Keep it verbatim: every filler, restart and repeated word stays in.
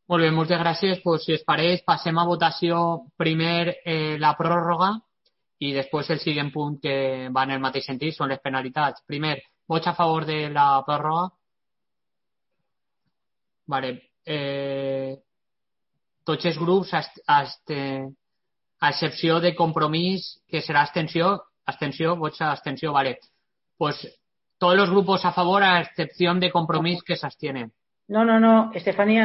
Molt bé, moltes gràcies. Pues, si us pareix, passem a votació primer eh, la pròrroga i després el següent punt que va en el mateix sentit, són les penalitats. Primer, vots a favor de la pròrroga? Vale. Eh, tots els grups, ast, ast, eh, a excepció de Compromís, que serà abstenció, abstenció, vots a abstenció, vale. Pues todos los grupos a favor, a excepción de Compromís, que se abstienen. No, no, no, Estefanía.